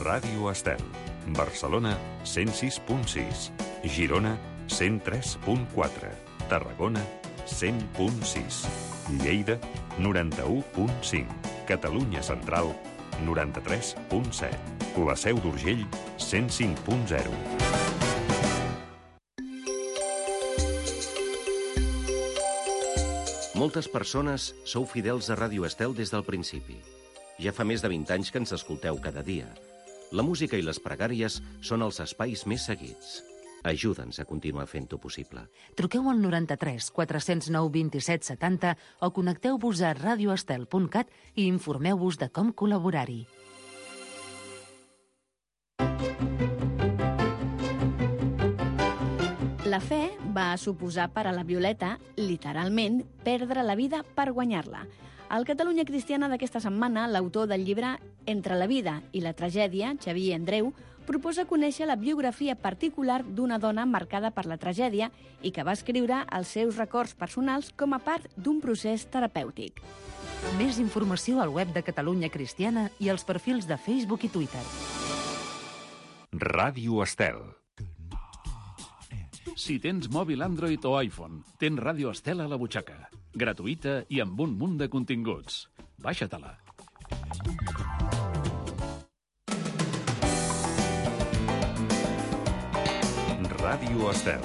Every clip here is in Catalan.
Ràdio Estel. Barcelona, 106.6. Girona, 103.4. Tarragona, 100.6. Lleida, 91.5. Catalunya Central, 93.7. La Seu d'Urgell, 105.0. Moltes persones sou fidels a Ràdio Estel des del principi. Ja fa més de 20 anys que ens escolteu cada dia. La música i les pregàries són els espais més seguits. Ajuda'ns a continuar fent-ho possible. Truqueu al 93 409 27 70 o connecteu-vos a radioestel.cat i informeu-vos de com col·laborar-hi. La fe va suposar per a la Violeta, literalment, perdre la vida per guanyar-la. Al Catalunya Cristiana d'aquesta setmana, l'autor del llibre Entre la vida i la tragèdia, Xavier Andreu, proposa conèixer la biografia particular d'una dona marcada per la tragèdia i que va escriure els seus records personals com a part d'un procés terapèutic. Més informació al web de Catalunya Cristiana i als perfils de Facebook i Twitter. Ràdio Estel. Si tens mòbil Android o iPhone, tens Ràdio Estel a la butxaca. Gratuïta i amb un munt de continguts. Baixa-te-la. Ràdio Estel.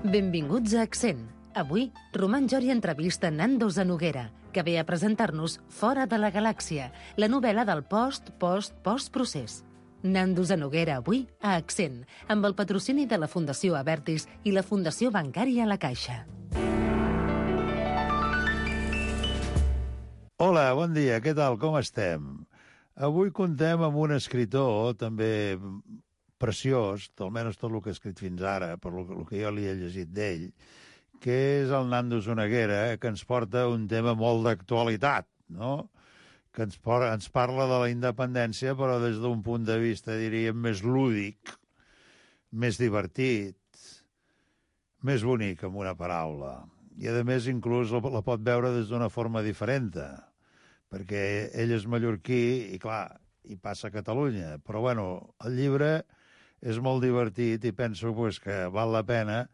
Benvinguts a Accent. Avui, Roman Jori entrevista Nando Zanoguera, que ve a presentar-nos Fora de la Galàxia, la novel·la del post-procés. Nando Zanoguera avui a Accent, amb el patrocini de la Fundació Abertis i la Fundació Bancària La Caixa. Hola, bon dia, què tal, com estem? Avui contem amb un escritor també preciós, almenys tot el que ha escrit fins ara, per el que jo li he llegit d'ell, que és el Nando Zanoguera, que ens porta un tema molt d'actualitat, no? Que ens parla de la independència, però des d'un punt de vista, diríem, més lúdic, més divertit, més bonic, amb una paraula. I, a més, inclús la pot veure des d'una forma diferent, perquè ell és mallorquí i, clar, hi passa a Catalunya. Però, bueno, el llibre és molt divertit i penso que val la pena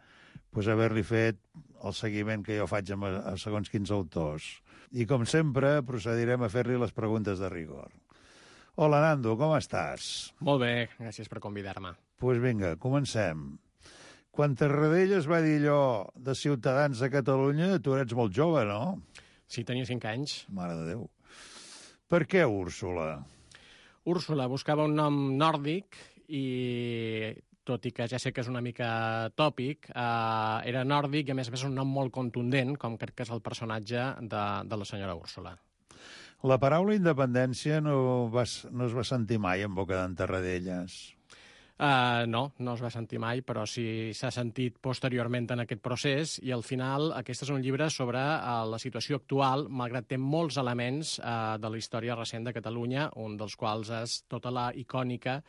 haver-li fet el seguiment que jo faig a segons quins autors. I, com sempre, procedirem a fer-li les preguntes de rigor. Hola, Nando, com estàs? Molt bé, gràcies per convidar-me. Doncs vinga, comencem. Quan Tarradellas va dir allò de Ciutadans de Catalunya, tu eres molt jove, no? Sí, tenia 5 anys. Mare de Déu. Per què Úrsula? Úrsula buscava un nom nòrdic i, tot i que ja sé que és una mica tòpic, era nòrdic i, a més, és un nom molt contundent, com crec que és el personatge de la senyora Úrsula. La paraula independència no es va sentir mai en boca d'en Tarradellas. No es va sentir mai, però sí s'ha sentit posteriorment en aquest procés i al final aquest és un llibre sobre la situació actual, malgrat té molts elements de la història recent de Catalunya, un dels quals és tota la icònica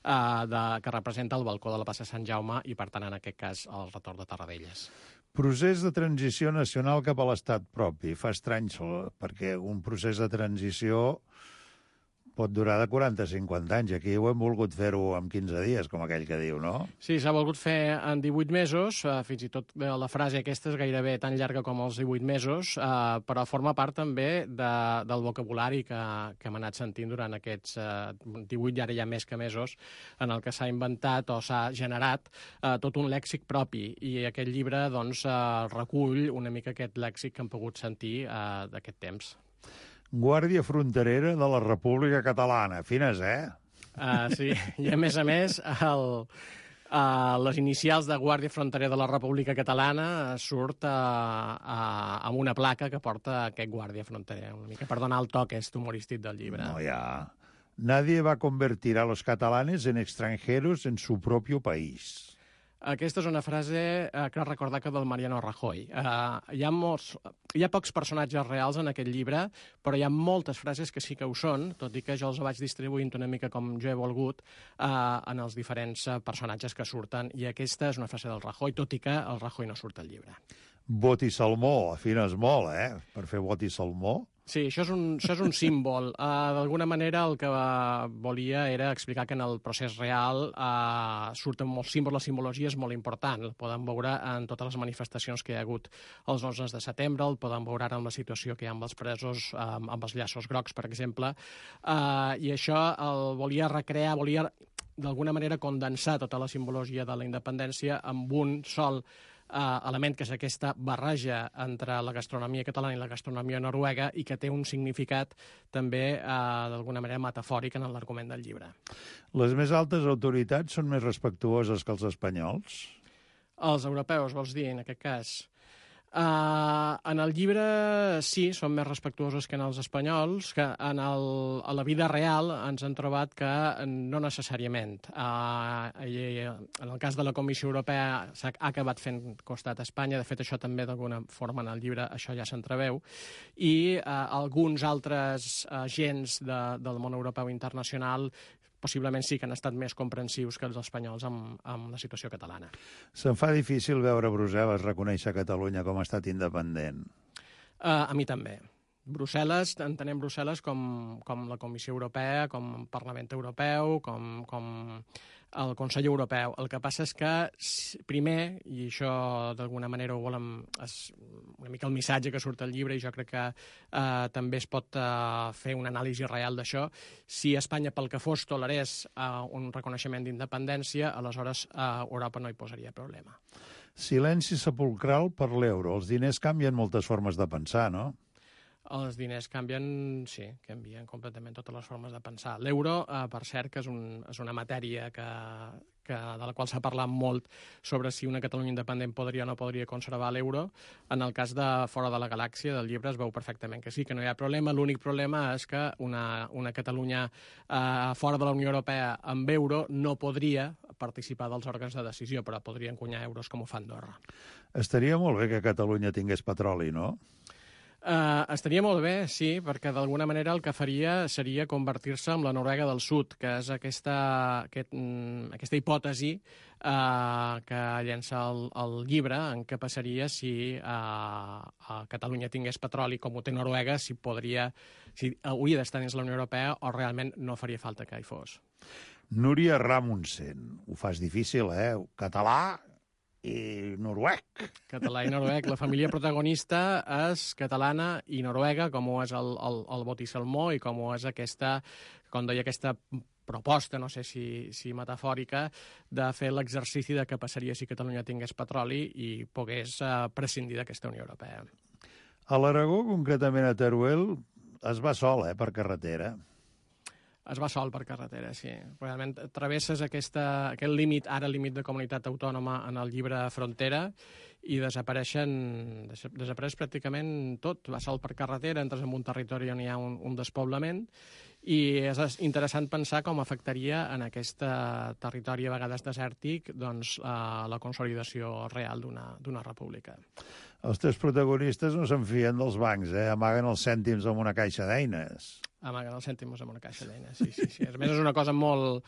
que representa el balcó de la plaça Sant Jaume i, per tant, en aquest cas, el retorn de Tarradellas. Procés de transició nacional cap a l'estat propi. Fa estrany, perquè un procés de transició pot durar de 40 a 50 anys. Aquí ho hem volgut fer-ho en 15 dies, com aquell que diu, no? Sí, s'ha volgut fer en 18 mesos, fins i tot la frase aquesta és gairebé tan llarga com els 18 mesos, però forma part també del vocabulari que hem anat sentint durant aquests 18, i ara ja més que mesos, en el que s'ha inventat o s'ha generat tot un lèxic propi, i aquest llibre doncs recull una mica aquest lèxic que hem pogut sentir d'aquest temps. Guàrdia Fronterera de la República Catalana. Fines, Sí, i a més, les inicials de Guàrdia Fronterera de la República Catalana surt amb una placa que porta aquest Guàrdia Fronterera, una mica per donar el toc humorístic del llibre. No, ja. Nadie va convertir a los catalanes en extranjeros en su propio país. Aquesta és una frase que recorda que del Mariano Rajoy. Hi ha pocs personatges reals en aquest llibre, però hi ha moltes frases que sí que ho són, tot i que jo els vaig distribuint una mica com jo he volgut en els diferents personatges que surten, i aquesta és una frase del Rajoy, tot i que el Rajoy no surt al llibre. Bot i salmó, afines molt, per fer bot i salmó. Sí, això és un símbol. D'alguna manera el que volia era explicar que en el procés real surten molts símbols, la simbologia és molt important. El podem veure en totes les manifestacions que hi ha hagut els 11 de setembre, el podem veure ara amb la situació que hi ha amb els presos, amb els llaços grocs, per exemple, i això el volia recrear, volia d'alguna manera condensar tota la simbologia de la independència amb un sol element, que és aquesta barreja entre la gastronomia catalana i la gastronomia noruega, i que té un significat també d'alguna manera metafòric en l'argument del llibre. Les més altes autoritats són més respectuoses que els espanyols? Els europeus, vols dir, en aquest cas? En el llibre sí, són més respectuosos que en els espanyols, que a la vida real ens han trobat que no necessàriament. En el cas de la Comissió Europea s'ha acabat fent costat a Espanya, de fet això també d'alguna forma en el llibre això ja s'entreveu, i alguns altres agents del món europeu internacional possiblement sí que han estat més comprensius que els espanyols amb la situació catalana. Se'n fa difícil veure Brussel·les reconèixer Catalunya com a estat independent? A mi també. Entenem Brussel·les com la Comissió Europea, com el Parlament Europeu, com el Consell Europeu. El que passa és que primer, i això d'alguna manera ho volem, és una mica el missatge que surt al llibre, i jo crec que també es pot fer una anàlisi real d'això, si Espanya pel que fos tolerés un reconeixement d'independència, aleshores Europa no hi posaria problema. Silenci sepulcral per l'euro. Els diners canvien moltes formes de pensar, no? Els diners canvien completament totes les formes de pensar. L'euro, per cert, que és una matèria de la qual s'ha parlat molt sobre si una Catalunya independent podria o no podria conservar l'euro. En el cas de Fora de la Galàxia, del llibre, es veu perfectament que sí, que no hi ha problema. L'únic problema és que una Catalunya fora de la Unió Europea amb euro no podria participar dels òrgans de decisió, però podria encunyar euros com ho fa Andorra. Estaria molt bé que Catalunya tingués petroli, no? Estaria molt bé, sí, perquè d'alguna manera el que faria seria convertir-se en la Noruega del Sud, que és aquesta hipòtesi que llença el llibre, en què passaria si Catalunya tingués petroli com ho té Noruega, si hauria d'estar dins la Unió Europea o realment no faria falta que hi fos. Núria Ramundsen, ho fas difícil, Català i noruec. Català i noruec. La família protagonista és catalana i noruega, com ho és el Bot i Salmó, i com ho és aquesta proposta, no sé si metafòrica, de fer l'exercici de què passaria si Catalunya tingués petroli i pogués prescindir d'aquesta Unió Europea. A l'Aragó, concretament a Teruel, es va sol, per carretera. Es va sol per carretera, sí. Realment travesses aquest límit, ara límit de comunitat autònoma en el llibre Frontera, i desapareix pràcticament tot. Va sol per carretera, entres en un territori on hi ha un despoblament, i és interessant pensar com afectaria en aquest territori a vegades desèrtic la consolidació real d'una república. Els teus protagonistes no se'n fien dels bancs, amaguen els cèntims amb una caixa d'eines. Amaguen els cèntims amb una caixa d'eines, sí. A més, és una cosa molt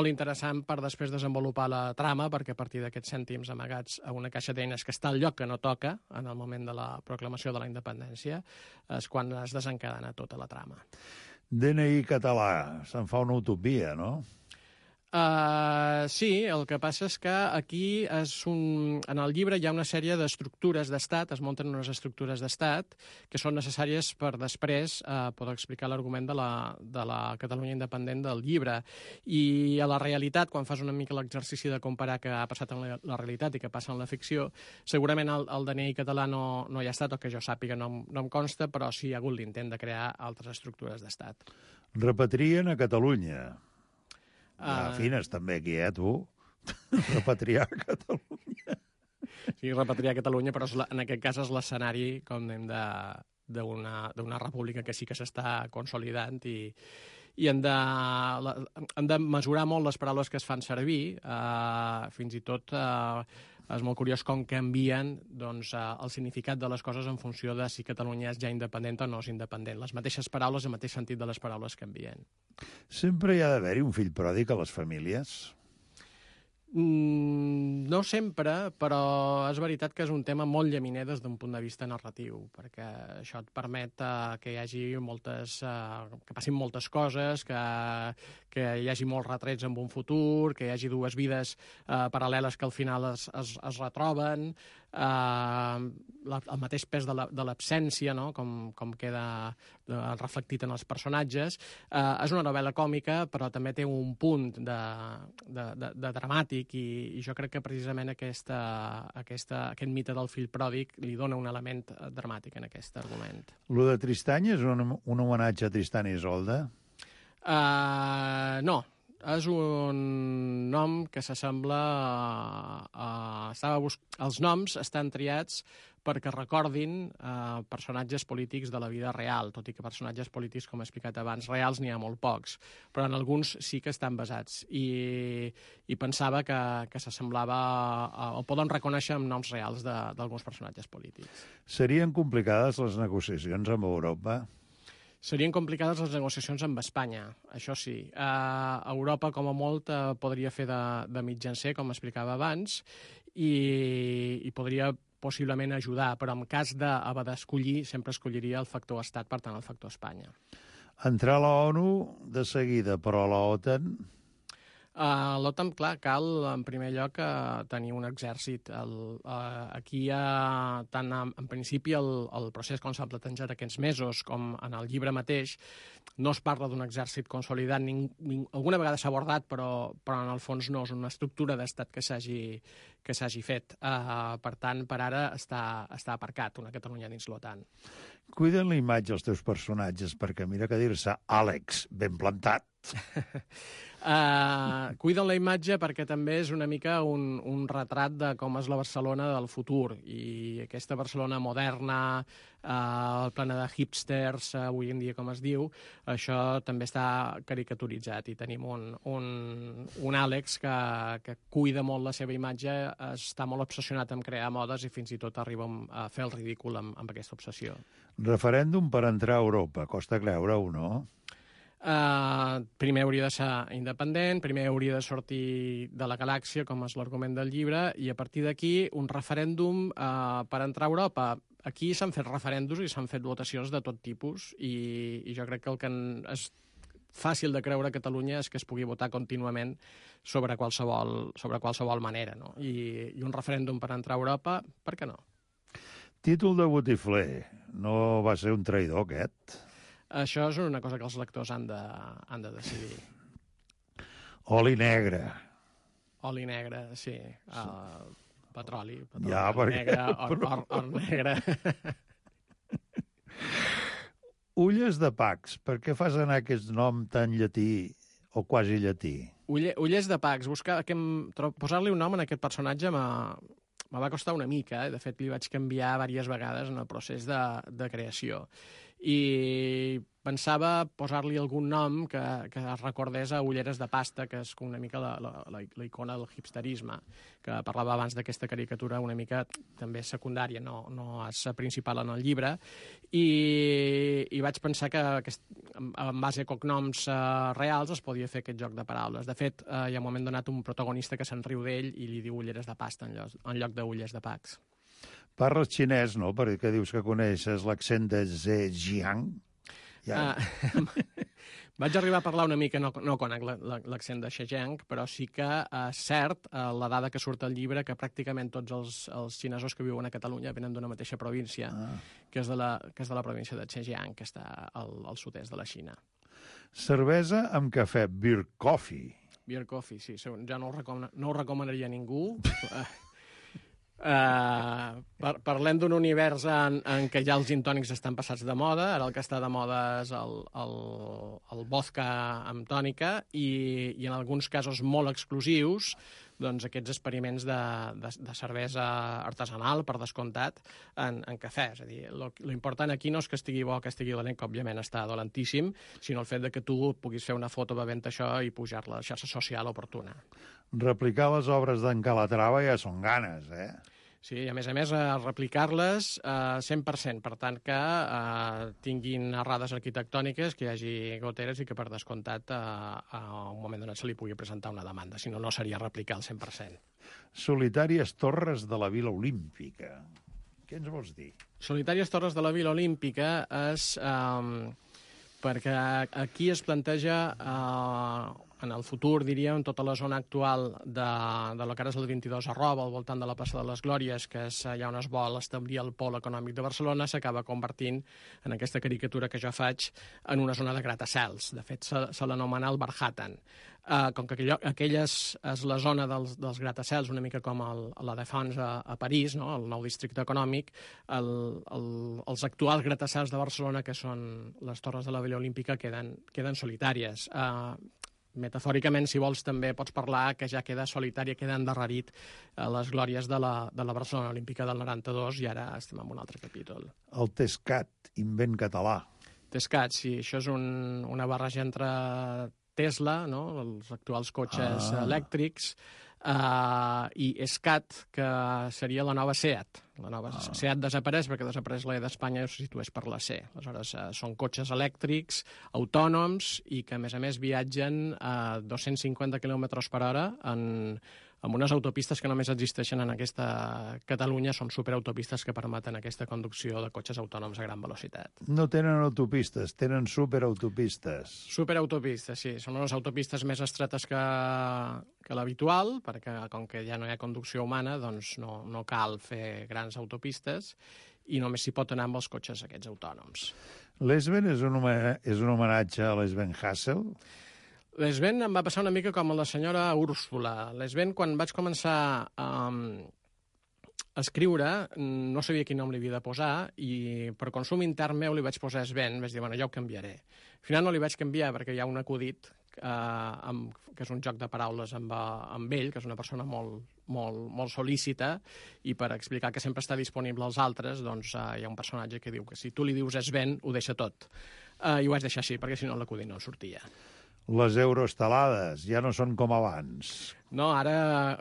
interessant per després desenvolupar la trama, perquè a partir d'aquests cèntims amagats a una caixa d'eines que està al lloc que no toca en el moment de la proclamació de la independència és quan es desencadena tota la trama. DNI català, se'n fa una utopia, no? Sí, el que passa és que aquí en el llibre hi ha una sèrie d'estructures d'estat, es munten unes estructures d'estat que són necessàries per després poder explicar l'argument de la Catalunya independent del llibre. I a la realitat, quan fas una mica l'exercici de comparar què ha passat en la realitat i què passa en la ficció, segurament el DNI català no hi ha estat, o que jo sàpiga no em consta, però sí hi ha hagut l'intent de crear altres estructures d'estat. Repatrien a Catalunya. Fines també aquí, tu? Repatriar a Catalunya. Sí, repatriar a Catalunya, però en aquest cas és l'escenari, com dèiem, d'una república que sí que s'està consolidant i han de mesurar molt les paraules que es fan servir, fins i tot és molt curiós com canvien doncs, el significat de les coses en funció de si Catalunya és ja independent o no és independent. Les mateixes paraules, el mateix sentit de les paraules canvien. Sempre hi ha d'haver-hi un fill pròdig a les famílies? No sempre, però és veritat que és un tema molt llaminer des d'un punt de vista narratiu, perquè això et permet que hi hagi que passin moltes coses, que hi hagi molts retrets en un futur, que hi hagi dues vides paral·leles que al final es retroben, el mateix pes de l'absència, no? com queda reflectit en els personatges. És una novel·la còmica, però també té un punt de dramàtic, i jo crec que precisament aquest mite del fill pròdig li dona un element dramàtic en aquest argument. Lo de Tristany és un homenatge a Tristan i Isolda? No. És un nom que s'assembla els noms estan triats perquè recordin personatges polítics de la vida real, tot i que personatges polítics, com he explicat abans, reals n'hi ha molt pocs, però en alguns sí que estan basats, i pensava que s'assemblava o poden reconèixer amb noms reals d'alguns personatges polítics. Serien complicades les negociacions amb Europa? Serien complicades les negociacions amb Espanya, això sí. Europa, com a molt, podria fer de mitjancer, com explicava abans, i podria possiblement ajudar, però en cas d'haver d'escollir, sempre escolliria el factor estat, per tant, el factor Espanya. Entrar a la ONU de seguida, però a la OTAN... L'OTAN, clar, cal, en primer lloc, tenir un exèrcit. Aquí hi ha, tant en principi, el procés com s'ha plantejat aquests mesos, com en el llibre mateix, no es parla d'un exèrcit consolidat. Alguna vegada s'ha abordat, però en el fons no és una estructura d'estat que s'hagi fet. Per tant, per ara està aparcat una Catalunya dins l'OTAN. Cuiden la imatge els teus personatges, perquè mira que dir-se Àlex, ben plantat. Cuiden la imatge perquè també és una mica un retrat de com és la Barcelona del futur, i aquesta Barcelona moderna, plena de hipsters, avui en dia com es diu, això també està caricaturitzat, i tenim un Àlex que cuida molt la seva imatge, està molt obsessionat en crear modes i fins i tot arriba a fer el ridícul amb aquesta obsessió. Referèndum per entrar a Europa, costa creure-ho, no? Primer hauria de ser independent, primer hauria de sortir de la galàxia, com és l'argument del llibre, i a partir d'aquí un referèndum per entrar a Europa. Aquí s'han fet referèndums i s'han fet votacions de tot tipus, i jo crec que el que és fàcil de creure a Catalunya és que es pugui votar contínuament sobre qualsevol manera, no? I un referèndum per entrar a Europa, per què no? Títol de botifler. No va ser un traïdor, aquest? Això és una cosa que els lectors han de decidir. Oli negre. Oli negre, sí. Petroli ja, negre, or negre. Ulles de Pacs. Per què fas anar aquest nom tan llatí o quasi llatí? Ulles de Pacs. Posar-li un nom a aquest personatge me va costar una mica. De fet, li vaig canviar diverses vegades en el procés de creació. I pensava posar-li algun nom que es recordés a Ulleres de Pasta, que és una mica la icona del hipsterisme, que parlava abans d'aquesta caricatura una mica també secundària, no és principal en el llibre, i vaig pensar que en base a cognoms reals es podia fer aquest joc de paraules. De fet, hi ha un moment donat un protagonista que se'n riu d'ell i li diu Ulleres de Pasta en lloc d'Ulles de Pacs. Parles xinès, no? Perquè dius que coneixes l'accent de Zhejiang. Ja. Vaig arribar a parlar una mica, no conec l'accent de Zhejiang, però sí que és cert la dada que surt al llibre, que pràcticament tots els xinesos que viuen a Catalunya venen d'una mateixa província, que és de la província de Zhejiang, que està al sud-est de la Xina. Cervesa amb cafè, beer coffee. Beer coffee, sí. Ja no ho recomanaria a ningú. Parlem d'un univers en què ja els gin tònics estan passats de moda. Ara el que està de moda és el vodka amb tònica, i en alguns casos molt exclusius doncs, aquests experiments de cervesa artesanal, per descomptat, en cafè. És a dir, lo important aquí no és que estigui bo o que estigui dolent, que òbviament està dolentíssim, sinó el fet de que tu puguis fer una foto bevent això i pujar-la a la xarxa social oportuna. Replicar les obres d'en Calatrava ja són ganes, eh? Sí, i a més, replicar-les 100%, per tant que tinguin errades arquitectòniques, que hi hagi goteres i que, per descomptat, a un moment donat se li pugui presentar una demanda, si no, no seria replicar al 100%. Solitàries torres de la Vila Olímpica. Què ens vols dir? Solitàries torres de la Vila Olímpica és perquè aquí es planteja en el futur, diríem, tota la zona actual de lo que ara és el 22 arroba, al voltant de la plaça de les Glòries, que és allà on es vol establir el pol econòmic de Barcelona, s'acaba convertint en aquesta caricatura que jo faig en una zona de gratacels. De fet, se l'anomena el Barhattan. Com que aquella és la zona dels gratacels, una mica com la Défense a París, no? El nou districte econòmic, els actuals gratacels de Barcelona, que són les torres de la Vila Olímpica, queden solitàries. Metafòricament, si vols, també pots parlar que ja queda solitària, queda endarrerit les glòries de la Barcelona Olímpica del 92 i ara estem en un altre capítol. El Tescat, invent català. Tescat, sí, això és una barreja entre Tesla, no? Els actuals cotxes elèctrics, i Escat, que seria la nova SEAT. La nova SEAT desapareix perquè desapareix la E d'Espanya i se situés per la C. Aleshores, són cotxes elèctrics, autònoms, i que, a més, viatgen a 250 km per hora amb unes autopistes que només existeixen en aquesta Catalunya. Són superautopistes que permeten aquesta conducció de cotxes autònoms a gran velocitat. No tenen autopistes, tenen superautopistes. Superautopistes, sí. Són unes autopistes més estretes que l'habitual, perquè com que ja no hi ha conducció humana, doncs no cal fer grans autopistes i només s'hi pot anar amb els cotxes aquests autònoms. L'Esben és un homenatge a l'Esben Hassel? L'Esben em va passar una mica com a la senyora Úrsula. L'Esben, quan vaig començar a escriure, no sabia quin nom li havia de posar i per consum intern meu li vaig posar Sven. Vaig dir, bueno, ja ho canviaré. Al final no li vaig canviar perquè hi ha un acudit que és un joc de paraules amb ell, que és una persona molt solícita, i per explicar que sempre està disponible als altres, doncs hi ha un personatge que diu que si tu li dius Sven, ho deixa tot. I ho vaig deixar així, perquè si no l'acudit no sortia. Les euroestelades ja no són com abans. No, ara,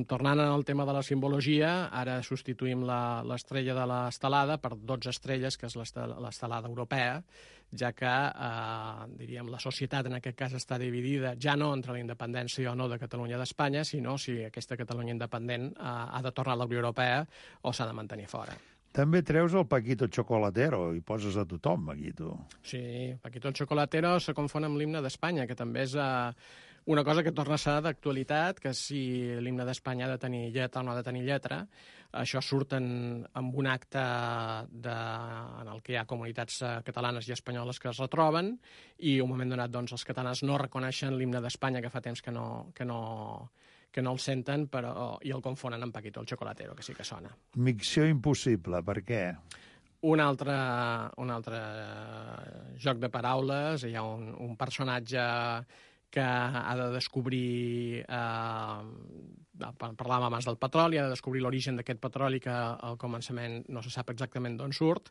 tornant al tema de la simbologia, ara substituïm l'estrella de l'estelada per 12 estrelles, que és l'estelada europea, ja que, diríem, la societat en aquest cas està dividida ja no entre la independència o no de Catalunya d'Espanya, sinó si aquesta Catalunya independent ha de tornar a la Unió Europea o s'ha de mantenir fora. També treus el Paquito Chocolatero i poses a tothom, Paquito. Sí, Paquito Chocolatero se confon amb l'himne d'Espanya, que també és una cosa que torna a ser d'actualitat, que si l'himne d'Espanya ha de tenir lletra o no ha de tenir lletra. Això surt en un acte en el que hi ha comunitats catalanes i espanyoles que es retroben, i un moment donat doncs, els catalans no reconeixen l'himne d'Espanya, que fa temps que no el senten, i el confonen amb Paquito el Chocolatero, que sí que sona. Micció impossible, per què? Un altre joc de paraules. Hi ha un personatge que ha de descobrir, parlàvem abans del petroli, ha de descobrir l'origen d'aquest petroli, que al començament no se sap exactament d'on surt,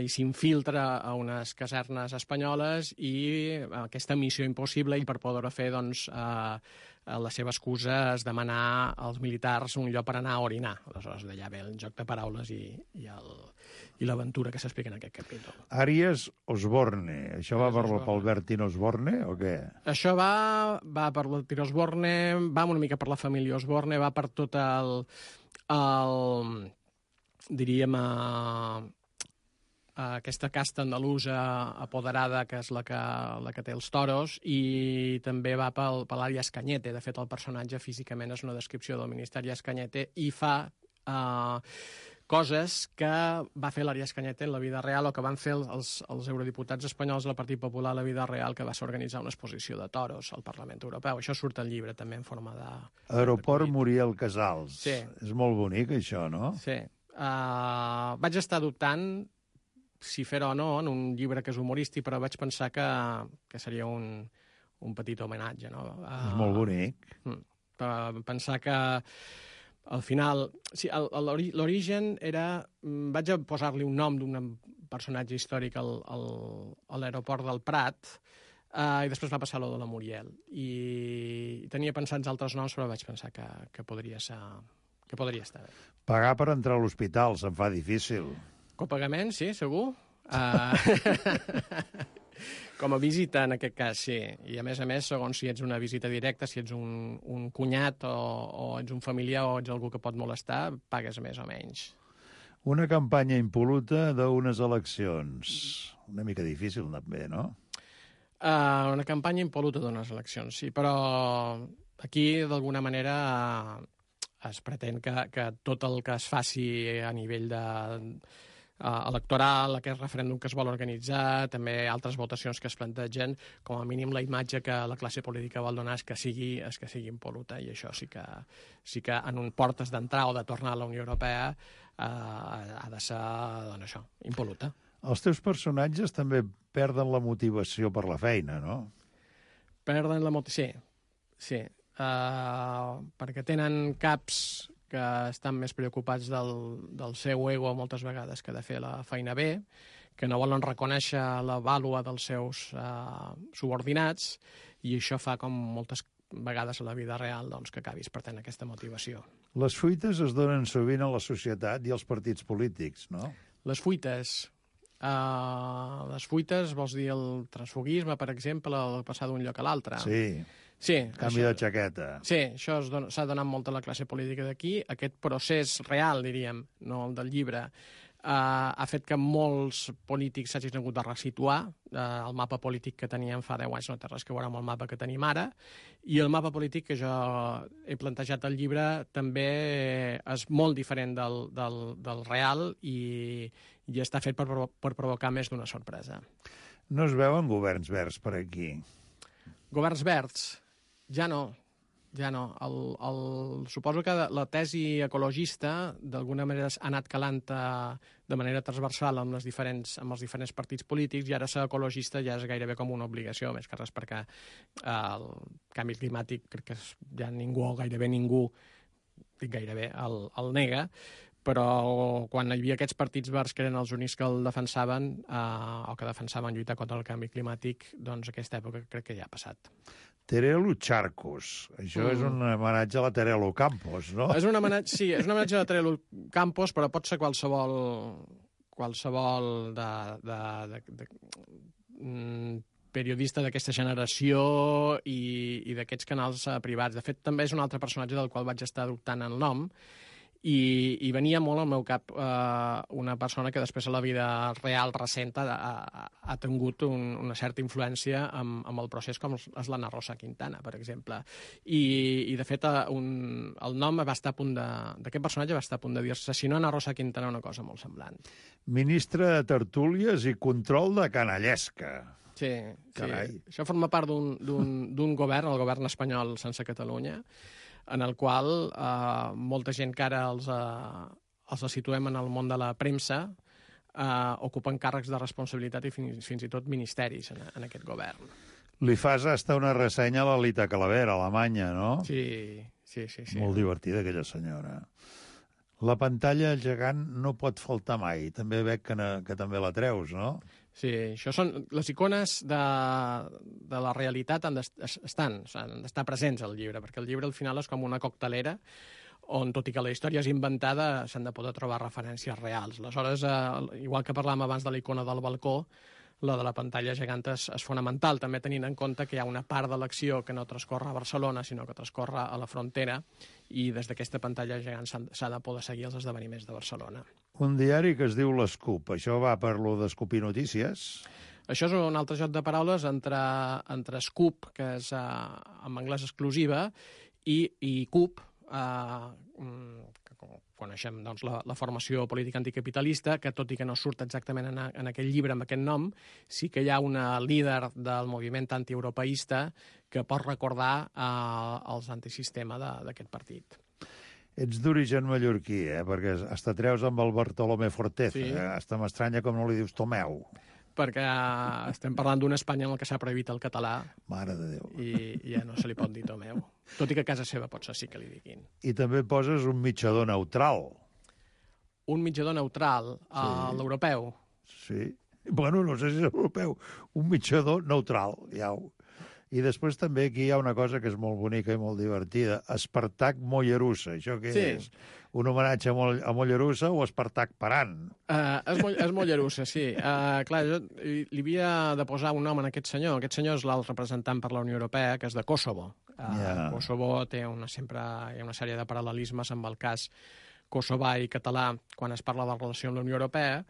i s'infiltra a unes casernes espanyoles, i aquesta missió impossible, i per poder-ho fer, doncs, la seva excusa és demanar als militars un lloc per anar a orinar. Aleshores, d'allà ve el joc de paraules i l'aventura que s'explica en aquest capítol. Àries Osborne. Això va pel Bertín Osborne o què? Això va per Bertín Osborne, va una mica per la família Osborne, va per tot diríem, aquesta casta andalusa apoderada, que és la que té els toros, i també va per l'Àries Cañete. De fet, el personatge físicament és una descripció del ministeri Cañete i fa coses que va fer l'Àries Cañete en la vida real, o que van fer els eurodiputats espanyols del Partit Popular a la vida real, que va ser organitzar una exposició de toros al Parlament Europeu. Això surt al llibre també en forma de... Aeroport Muriel Casals. Sí. És molt bonic, això, no? Sí. Vaig estar dubtant si fer-ho o no en un llibre que és humorístic, però vaig pensar que seria un petit homenatge, no? És molt bonic. Pensar que al final... Sí, l'origen era... Vaig a posar-li un nom d'un personatge històric a l'aeroport del Prat, i després va passar lo de la Muriel. I tenia pensats altres noms, però vaig pensar que podria estar bé. Pagar per entrar a l'hospital se'm fa difícil. Copagament, sí, segur. Com a visita, en aquest cas, sí. I a més, segons si ets una visita directa, si ets un cunyat o ets un familiar o ets algú que pot molestar, pagues més o menys. Una campanya impol·luta d'unes eleccions. Una mica difícil, també, no? Una campanya impol·luta d'unes eleccions, sí, però aquí, d'alguna manera, es pretén que tot el que es faci a nivell electoral, aquest referèndum que es vol organitzar, també altres votacions que es plantegen, com a mínim la imatge que la classe política vol donar és que sigui impol·luta, i això sí que en un portes d'entrar o de tornar a la Unió Europea ha de ser, doncs això, impol·luta. Els teus personatges també perden la motivació per la feina, no? Perden la motivació, sí. Perquè tenen caps que estan més preocupats del seu ego moltes vegades que de fer la feina bé, que no volen reconèixer la vàlua dels seus subordinats, i això fa, com moltes vegades a la vida real, doncs, que acabis perdent aquesta motivació. Les fuites es donen sovint a la societat i als partits polítics, no? Les fuites vols dir el transfuguisme, per exemple, el passar d'un lloc a l'altre? Sí, canvi de jaqueta. Sí, això s'ha donat molt a la classe política d'aquí. Aquest procés real, diríem, no el del llibre, ha fet que molts polítics s'hagin hagut de resituar. El mapa polític que teníem fa 10 anys no té res que veure amb el mapa que tenim ara, i el mapa polític que jo he plantejat al llibre també és molt diferent del real i està fet per provocar més d'una sorpresa. No es veuen governs verds per aquí? Governs verds? Ja no. Suposo que la tesi ecologista d'alguna manera ha anat calant de manera transversal amb els diferents partits polítics, i ara ser ecologista ja és gairebé com una obligació, més que res perquè el canvi climàtic crec que ja gairebé ningú, dic gairebé, el nega, però quan hi havia aquests partits verds que eren els únics que el defensaven o que defensaven lluitar contra el canvi climàtic, doncs aquesta època crec que ja ha passat. Terelu Charcos. Això és un homenatge a la Terelu Campos, no? És un homenatge a la Terelu Campos, però pot ser qualsevol periodista d'aquesta generació i d'aquests canals privats. De fet, també és un altre personatge del qual vaig estar adoptant el nom, i venia molt al meu cap una persona que després a la vida real recent ha tingut una certa influència amb el procés, com és l'Anna Rosa Quintana, per exemple. I de fet, el nom va estar a punt d'aquest personatge va estar a punt de dir-se, si no Anna Rosa Quintana, una cosa molt semblant. Ministre de tertúlies i control de canallesca. Sí. Això forma part d'un govern, el govern espanyol sense Catalunya, en el qual molta gent que ara els situem en el món de la premsa ocupen càrrecs de responsabilitat i fins i tot ministeris en aquest govern. Li fas hasta una ressenya a la Lita Calavera, a Alemanya, no? Sí. Molt divertida, aquella senyora. La pantalla gegant no pot faltar mai. També veig que també la treus, no? Sí, això són les icones de la realitat, han d'estar presents al llibre, perquè el llibre al final és com una coctelera on, tot i que la història és inventada, s'han de poder trobar referències reals. Aleshores, igual que parlàvem abans de la icona del balcó, la de la pantalla gegant és fonamental, també tenint en compte que hi ha una part de l'acció que no transcorre a Barcelona, sinó que transcorre a la frontera, i des d'aquesta pantalla gegant s'ha de poder seguir els esdeveniments de Barcelona. Un diari que es diu l'Escup. Això va per lo d'escopir notícies? Això és un altre joc de paraules entre Scoop, que és en anglès exclusiva, i CUP, que coneixem doncs, la formació política anticapitalista, que tot i que no surt exactament en aquell llibre amb aquest nom, sí que hi ha una líder del moviment antieuropeista que pot recordar els antisistema d'aquest partit. Ets d'origen mallorquí, perquè hasta treus amb el Bartolomé Forteza. Sí. Hasta m'estranya com no li dius Tomeu. perquè estem parlant d'un Espanya en el que s'ha prohibit el català. Mare de Déu. I ja no se li pot dir Tomeu. Tot i que a casa seva potser sí que li diguin. I també poses un mitjador neutral. Un mitjador neutral, l'europeu. Sí. Bueno, no sé si és europeu. Un mitjador neutral, ja ho... I després també aquí hi ha una cosa que és molt bonica i molt divertida. Espartac Mollerussa. Això què és? Un homenatge a Mollerussa o Espartac Paran? És Mollerussa, sí. Clar, jo li havia de posar un nom a aquest senyor. Aquest senyor és l'alt representant per la Unió Europea, que és de Kosovo. Kosovo té sempre hi ha una sèrie de paral·lelismes amb el cas kosovar i català quan es parla de la relació amb la Unió Europea,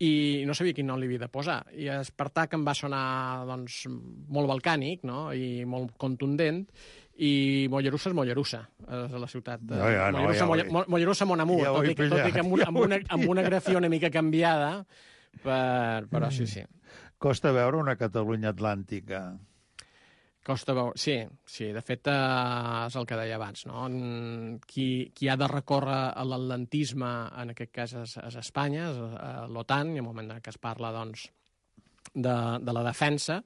i no sabia quin nom li havia de posar. I Espartac em va sonar doncs, molt balcànic, no? I molt contundent, i Mollerussa és Mollerussa, és la ciutat de... Mollerussa Mon Amour, tot i que amb una grafia una mica canviada, però sí. Costa veure una Catalunya atlàntica. Costa veure... Sí, de fet és el que deia abans, no? Qui ha de recórrer a l'atlantisme, en aquest cas és Espanya, és l'OTAN, i en el moment que es parla doncs, de la defensa,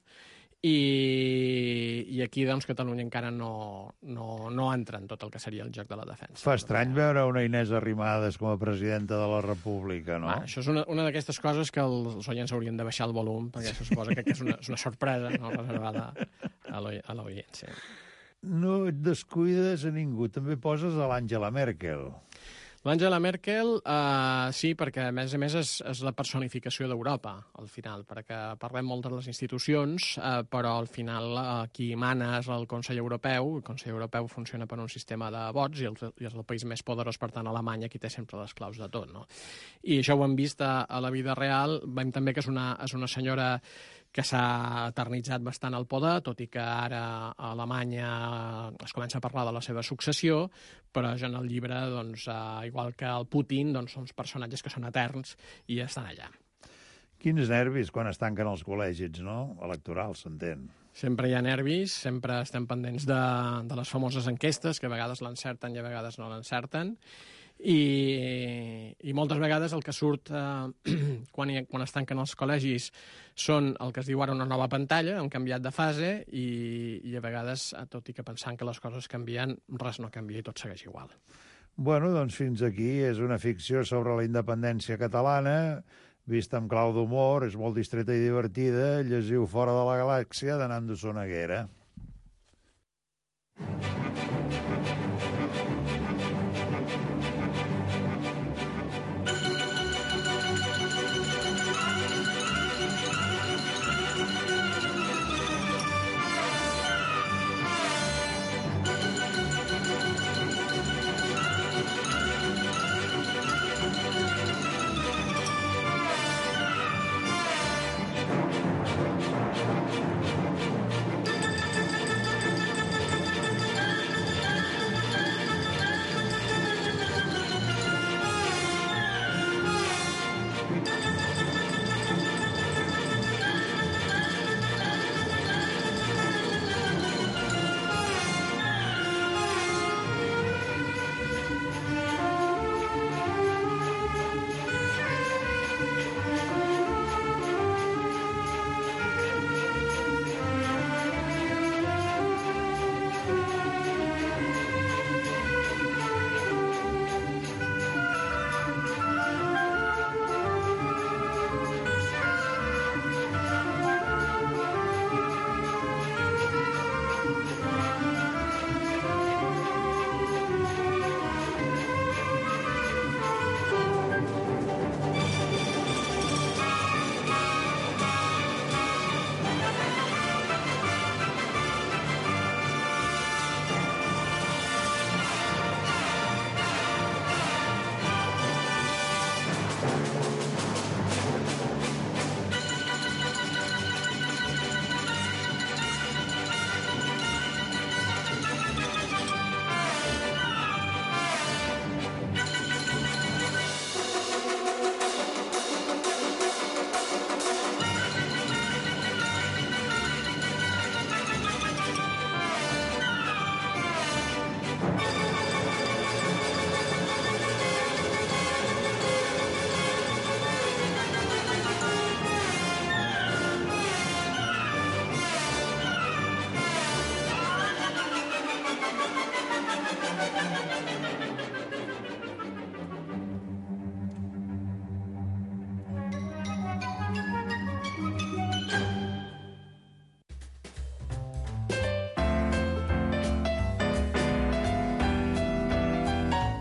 i aquí doncs, Catalunya encara no entra en tot el que seria el joc de la defensa. Fa estrany veure una Inés Arrimadas com a presidenta de la República, no? Això és una d'aquestes coses que els oients haurien de baixar el volum, perquè això suposa que és una sorpresa, no?, reservada a l'audiència. No et descuides a ningú. També poses a l'Angela Merkel. L'Angela Merkel, sí, perquè a més és la personificació d'Europa, al final, perquè parlem molt de les institucions, però al final qui mana és el Consell Europeu. El Consell Europeu funciona per un sistema de vots i és el país més poderós, per tant, Alemanya, qui té sempre les claus de tot, no? I això ho hem vist a la vida real. Veiem també que és una senyora que s'ha eternitzat bastant al poder, tot i que ara a Alemanya es comença a parlar de la seva successió, però ja en el llibre, doncs, igual que el Putin, doncs, són personatges que són eterns i estan allà. Quins nervis quan es tanquen els col·legis, no? Electorals, s'entén. Sempre hi ha nervis, sempre estem pendents de les famoses enquestes, que a vegades l'encerten i a vegades no l'encerten, i moltes vegades el que surt quan es tanquen els col·legis són el que es diu ara una nova pantalla, han canviat de fase, i a vegades, tot i que pensant que les coses canvien, res no canvia i tot segueix igual. Bueno, doncs fins aquí és una ficció sobre la independència catalana, vista amb clau d'humor, és molt distreta i divertida. Llegiu Fora de la Galàxia de Nando Sonaguera.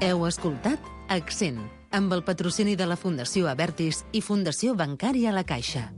Heu escoltat Accent, amb el patrocini de la Fundació Abertis i Fundació Bancària La Caixa.